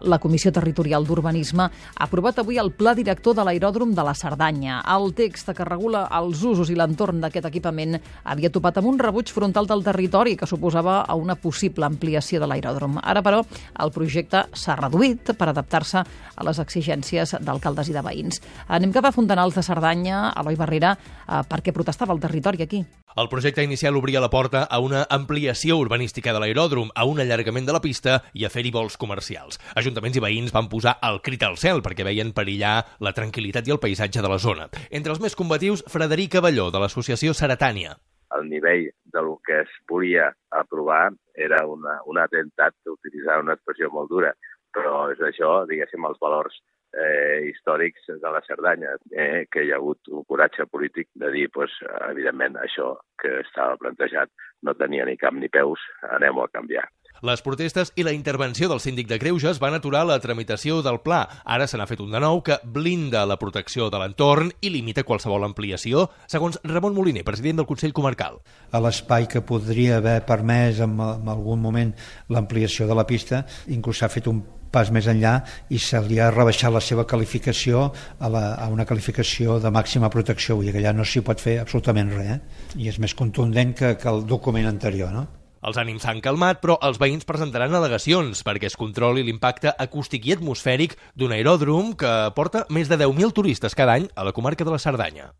La Comissió Territorial d'Urbanisme ha aprovat avui el Pla Director de l'Aeròdrom de la Cerdanya. El text que regula els usos i l'entorn d'aquest equipament havia topat amb un rebuig frontal del territori que suposava a una possible ampliació de l'aeròdrom. Ara, però, el projecte s'ha reduït per adaptar-se a les exigències d'alcaldes i de veïns. Anem cap a Fontanals de Cerdanya. Eloi Barrera, per què protestava el territori aquí? El projecte inicial obria la porta a una ampliació urbanística de l'aeròdrom, a un allargament de la pista i a fer-hi vols comercials. Ajuntaments i veïns van posar el crit al cel perquè veien perillar la tranquil·litat i el paisatge de la zona. Entre els més combatius, Frederic Avelló, de l'associació Ceretània. El nivell del que es volia aprovar era un atemptat, d'utilitzar una expressió molt dura, però és això, diguéssim, els valors històrics de la Cerdanya, que hi ha hagut un coratge polític de dir, evidentment, això que estava plantejat no tenia ni cap ni peus, anem-ho a canviar. Les protestes i la intervenció del síndic de Greuges van aturar la tramitació del pla. Ara se n'ha fet un de nou que blinda la protecció de l'entorn i limita qualsevol ampliació, segons Ramon Moliner, president del Consell Comarcal. A l'espai que podria haver permès en algun moment l'ampliació de la pista, inclús s'ha fet un pas més enllà i se li ha rebaixat la seva qualificació a una qualificació de màxima protecció, vull dir que allà no s'hi pot fer absolutament res, i és més contundent que el document anterior, no? Els ànims s'han calmat, però els veïns presentaran al·legacions perquè es controli l'impacte acústic i atmosfèric d'un aeròdrom que porta més de 10.000 turistes cada any a la comarca de la Cerdanya.